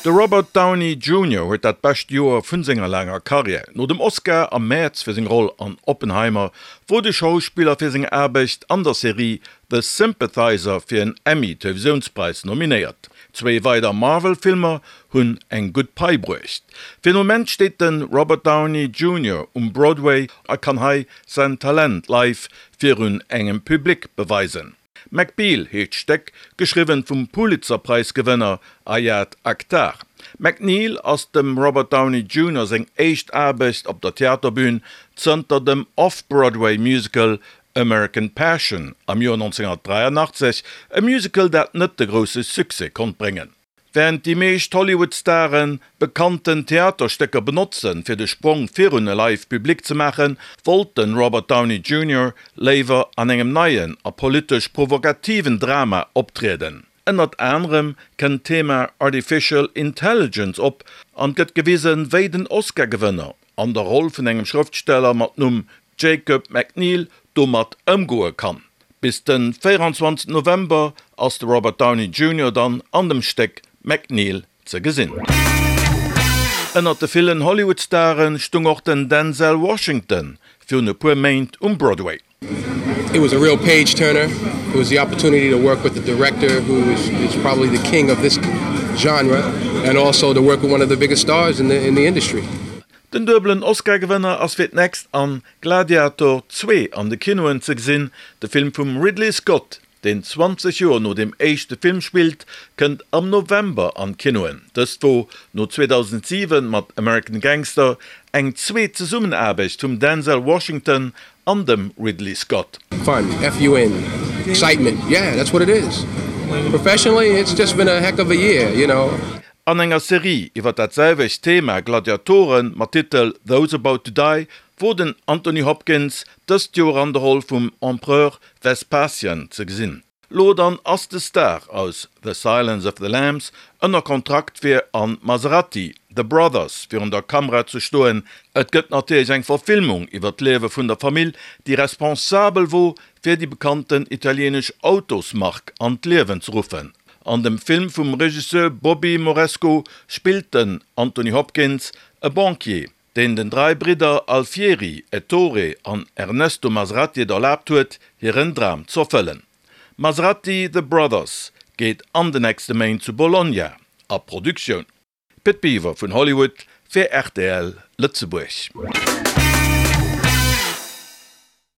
De Robert Downey Junior huet dat bescht Joer vun senger laanger Karriär. No dem Oscar am Mäerz fir seng Roll an Oppenheimer wor de Schauspiller fir seng Aarbecht an der Serie The Sympathizer fir en Emmy-Televisiounspräis nominéiert. Zwéi weider Marvel-Filmer hunn eng gutt Pai bruecht. Fir den Moment steet de Robert Downey Junior um Broadway a kann hei säin Talent live virun engem Public beweisen. Macbeal heescht d'Stéck, geschriwwen vum Pulitzer-Präis-Gewënner Ayad Akhtar. MacNeil ass dem Robert Downey Junior seng éischt Aarbecht op der Theaterbün zënter dem Off-Broadway-Musical American Passion am Joer 1983, e Musical dat net de grousse Succès konnt bréngen. Wärend déi meescht Hollywood-Staren bekannten Theaterstécker benotzen, fir de Sprong virun e live Public ze maachen, wollt de Robert Downey Junior léiwer an engem neien a politesch provokativen Drama optrieden. Ënnert anerem kënnt d'Thema Artificial Intelligence op an gëtt gewisen, wéi den Oscar-Gewënner an der Roll vun engem Schrëftsteller mat Numm Jacob McNeil domat ëmgoe kann. Bis de 24 November ass de Robert Downey Junior dann an dem Stéck McNeil ze gesinn. Ënnert de villen Hollywood-Stare stung och den Denzel Washington virun e puer Méint um Broadway. It was a real page turner. It was the opportunity to work with the director who is, is probably the king of this genre and also to work with one of the biggest stars in the, in the industry. Den duebelen Oscar-Gewënner ass fir d'nächst an Gladiator 2 an de Kinoen ze gesinn. De Film vum Ridley Scott, deen 20 Joer no deem éischte Film spillt, kënnt am November an d'Kinoen. Dëst wor no 2007 mat American Gangster eng zweet Zesummenaarbecht vum Denzel Washington an dem Ridley Scott. Fun, F-U-N, excitement, yeah, that's what it is. Professionally, it's just been a heck of a year, you know. An enger Serie iwwer dat selwecht Thema Gladiatoren mat Titel Those About to Die wor den Anthony Hopkins dëst Joer an der Roll vum Empereur Vespasian ze gesinn. Lo dann ass de Star aus The Silence of the Lambs ënner Kontrakt fir an Maserati, The Brothers virun der Kamera ze stoen. Et gëtt natierlech eng Verfilmung iwwer d'Liewe vun der Famill déi responsabel wor fir déi bekannten italienesch Autosmark an d'Liewen ze ruffen. An dem Film vum Regisseur Bobby Moresco spillt den Anthony Hopkins e Banquier, deen den 3 Bridder Alfieri, Ettore an Ernesto Maserati et erlaabt huet, hiren Dram z'erfëllen. Maserati, The Brothers geet an de nächste Méint zu Bologna a Produktioun. Pit Biwer vun Hollywood fir rtl Lëtzebuerg.